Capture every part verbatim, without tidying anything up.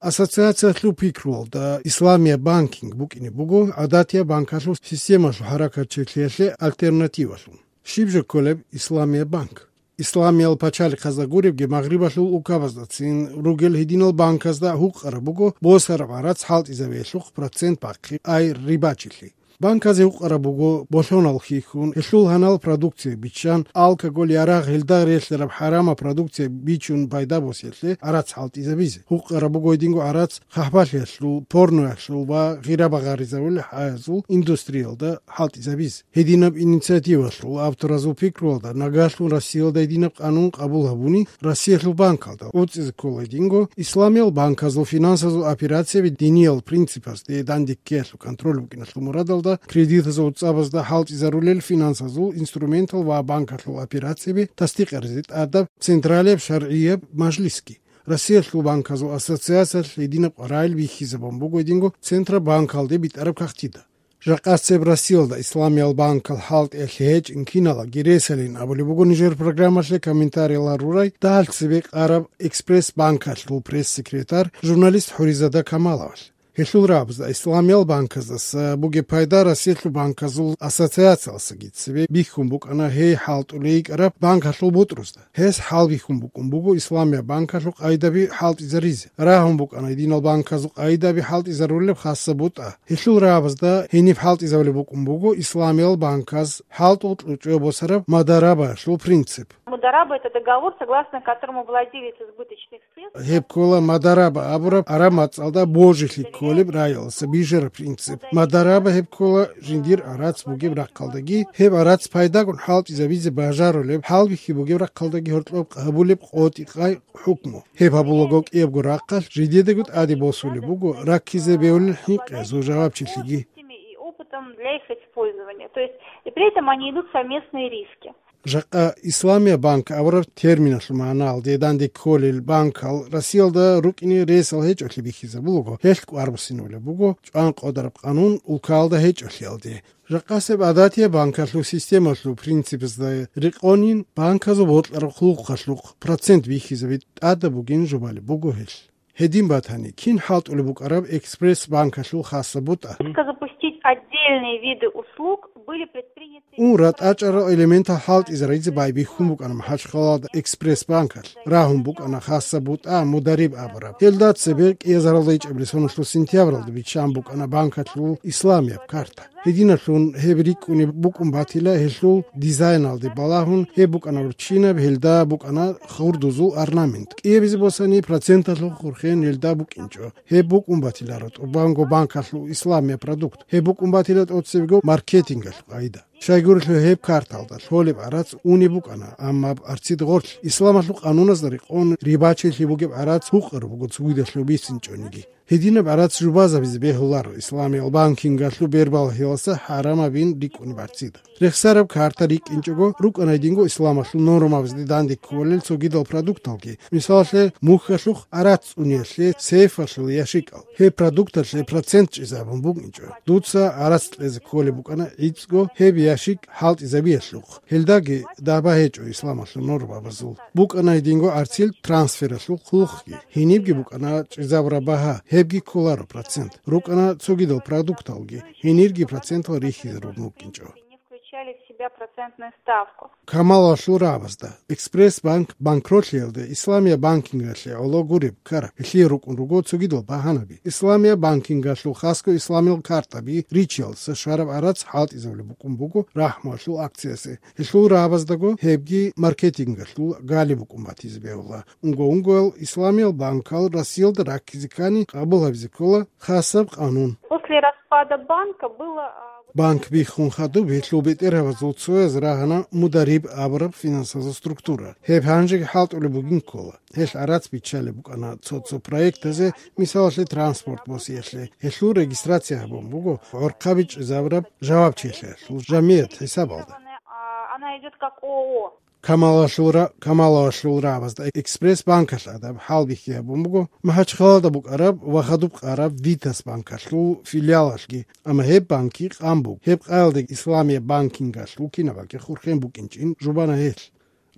Ассоциациялъул пикруялда, исламияб банкинг букӀине буго гӀадатияб банкалъул системалъул хӀаракатчилъиялъе альтернативалъун. Щиб жо кколеб исламияб банк? Исламиял пачалихъазда гуребги, Магърибалъул улкабаздацин ругел гьединал банказда гьукъараб буго босараб гӀарац хӀалтӀизабиялъухъ процент бахъи, ай рибачилъи. Банказе гьукъараб буго болъонал хьихьун, гьелъул гьанал продукция биччан, алкоголь, ярагъ, гьелда релълъараб хӀарамаб продукция бичун пайда босиялъе гӀарац хӀалтӀизабизе. Гьукъараб буго гьединго гӀарац хъахӀбалъиялъул, порноялъул ва гъира багъаризабулел хӀаязул индустриялда хӀалтӀизабизе. Гьединаб инициативалъул авторазул пикруялда, нагагьлъун Россиялда гьединаб къанун къабул гьабуни, Россиялъул банкалда гӀуцӀизе ккола гьединго исламиял банказул финансазул операцияби диниял принципазде дандеккеялъул контроль букӀиналъул мурадалда кредитазул цӀабазда хӀалтӀизарулел финансазул инструментал ва банкалъул операцияби тасдикъаризе тӀадаб централияб шаргӀияб мажлисги. Россиялъул банказул ассоциациялъ гьединаб къваригӀел бихьизабун буго гьединго Центробанкалде битӀараб кагътида. Жакъасеб Россиялда исламиял банкал хӀалтӀиялъе гьечӀин киналаги ресалин абулеб буго нижер программалъе комментарий гьарурай дагьал цебе къараб Экспресс банкалъул пресс-секретарь, журналист Хуризада Камаловалъ. Гьелъул рагӀабазда исламиял банказдаса бугеб пайда Россиялъул банказул ассоциациялдасаги цебе бихьун букӀана гьей хӀалтӀулей йикӀараб банкалъул бутӀрузда. Гьес хӀалбихьун букӀун буго исламияб банкалъул къайдаби хӀалтӀизаризе. Рагьун букӀана гьединал банказул къайдаби хӀалтӀизарулеб хасаб бутӀа. Гьелъул рагӀабазда гьениб хӀалтӀизабулеб букӀун буго исламиял банказ хӀалтӀул кьучӀо босараб мударабаялъул принцип. Мудараба — это договор, согласно которому владелец избыточных средств... Гьеб ккола мудараба абураб, араб мацӀалда божилъи кколеб раялдаса бижараб принцип. Мудараба гьеб ккола жиндир гӀарац бугеб рахъалдаги, гьеб гӀарац пайдагун хӀалтӀизабизе бажарулеб, хӀалбихьи бугеб рахъалдаги гьоркьоб къабулеб къотӀи-къай хӀукму. Гьеб гьабулаго кӀиябго рахъалъ жидедаго тӀаде босулеб буго раккизе бегьулел хӀинкъиязул жавабчилъиги. И опытом для их использования. То есть, и при этом они идут в совместные риски. Жакъа исламияб банк абураб терминалъул магӀналде данде кколел банкал Россиялда рукӀине ресал гьечӀолъи бихьизабулаго, гьелъ кӀвар буссинабулеб буго чӀван къодараб къанун улкалда гьечӀолъиялде. Жакъасеб гӀадатияб банкалъул системалъул принципазда рекъонин, банказул бокьараб хъулухъалъухъ процент бихьизаби тӀадаб бугин жубалеб буго гьелъ. Гьедин батани, кин хӀалтӀулеб букӀараб Экспресс банкалъул хасаб бутӀа? Риска запустить отдельные виды услуг были предприняты... Ун ратӀачӀарал элементал хӀалтӀизаризе байбихьун букӀана МахӀачхъалалда Экспресс банкалъ. Рагьун букӀана хасаб бутӀа мудариб абураб. Гьелда цебе кӀиазаралда ичӀабилеб соналъул сентябралда биччан букӀана банкалъул исламияб карта. Гьединалъун гьеб рикӀкӀунеб букӀун батила, гьелъул дизайналде балагьун гьеб букӀана урччинаб, гьелда букӀана хурдузул орнамент. КӀиабизе босани, проценталъул хурхен гьелда букӀинчӀо. Гьеб букӀун батиларо тӀубанго банкалъул исламияб продукт. Гьеб букӀун батила тӀоцебего маркетингалъул къайда. Щайгурелъул гьеб карталда лъолеб гӀарац унеб букӀана, амма арцид гъорлъ, исламалъул къануназда рекъон рибачилъи бугеб гӀарац гьукъараб буго цогидалъув бицинчӀониги. Гьединаб гӀарац жубазабизе бегьуларо исламиял банкингалъул бербалъиялдаса хӀарамабин рикӀкӀунеб гӀарцида. Рехсараб карта рикӀкӀинчӀого рукӀана гьединго исламалъул нормабазде данде кколел цогидал продукталги, мисалалъе, мухьалъухъ гӀарац цӀуниялъе, сейфалъул ящикӀал. Гьеб продукталъе процент чӀезабун букӀинчӀо. Дуца гӀарац кьезе кколеб букӀана гӀицӀго гьеб ящик хӀалтӀизабиялъухъ. Гьелдаги дагьба гьечӀо исламалъул нормабазул. БукӀана гьединго гӀарцил трансфералъул хъулухъги. Гьенибги букӀана чӀезабураб багьа, гьебги кколаро процент. РукӀана цогидал продукталги, гьенирги процентал рихьизарун букӀинчӀо. Не включали в себя процентную ставку. Камалалъул рагӀабазда, Экспресс банк банкротлъиялде исламияб банкингалъе гӀоло гуреб ккараб, гьелъие рукӀун руго цогидал багьанаби. Исламияб банкингалъул хасго исламиял картаби ричиялдаса щвараб гӀарац хӀалтӀизабулеб букӀун буго рахӀмуялъул акциясе. Гьелъул рагӀабаздаго гьебги маркетингалъул гали букӀун батизе бегьула. Унго-унгоял исламиял банкал Россиялда раккизе ккани къабул гьабизе ккола хасаб къанун. После распада банка было, а, вот... Банк биххун хадуб гьелъул бетӀергьабазул цояз рагьана мудариб абураб финансазул структура. Гьеб гьанжеги хӀалтӀулеб бугин ккола. Гьелъ гӀарац биччалеб букӀана цо-цо проектазе, мисалалъе, транспорт босиялъе. Гьелъул регистрация гьабун буго гӀорхъаби чӀезабураб жавабчилъиялъул жамият хӀисабалда. А, она идёт как ООО. Камалалъул ра-, Камалалъул рагӀабазда Экспресс банкалъ гӀадаб хӀалбихьи гьабун буго МахӀачхъалада букӀараб ва хадуб къараб Витас банкалъул филиалалъги, амма гьеб банкги къан буго. Гьеб къаялдаги исламияб банкингалъул кинабаги хурхен букӀинчӀин жубана гьелъ.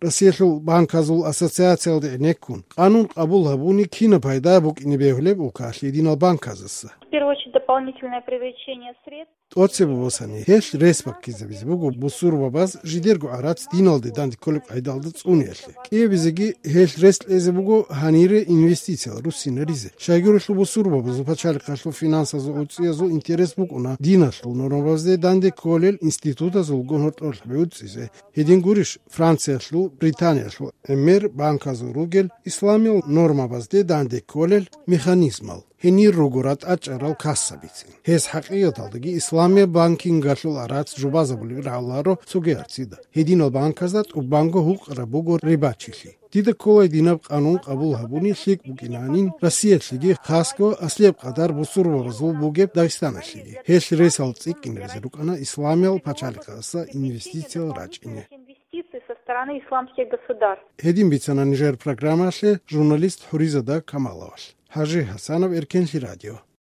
Россиялъул банказул ассоциациялде гӀенеккун, къанун къабул гьабуни кинаб пайда букӀине бегьулеб улкалъ гьединал банказаса? В первую очередь, дополнительное привлечение средств. ТӀоцебе босани, гьелъ рес баккизабизе буго бусурбабаз жидерго гӀарац диналде данде кколеб къайдалда цӀуниялъе. КӀиабизеги гьелъ рес кьезе буго гьанире инвестициялъ руссинаризе. Щайгурелъул бусурбабазул пачалихъалъул финансазул гӀуцӀиязул интерес букӀуна диналъул нормабазде данде кколел институтазулгун гьоркьорлъаби гӀуцӀизе. Гьедин гурищ, Франциялъул, Британиялъул гӀемер банказул ругел исламиял нормабазде данде кколел механизмал. Гьенир руго ратӀа чӀарал кассабицин. Гьез хӀакъикъаталдаги исламияб банкингалъул гӀарац жубазабулеб рагӀуларо цоги арцида. Гьединал банказда тӀубанго гьукъараб буго рибачилъи. Дида ккола гьединаб къанун къабул гьабуни лъикӀ букӀинанин Россиялъеги, хасго аслияб къадар бусурбабазул бугеб Дагъистаналъеги. Гьелъ ресал цӀикӀкӀинаризе рукӀана исламиял пачалихъаса инвестициял рачӀине. Инвестиции со стороны исламских государств. Гьедин бицана нижер программалъе журналист Хуризада Камаловалъ. ХӀажи ХӀасанов, Эркенлъи радио.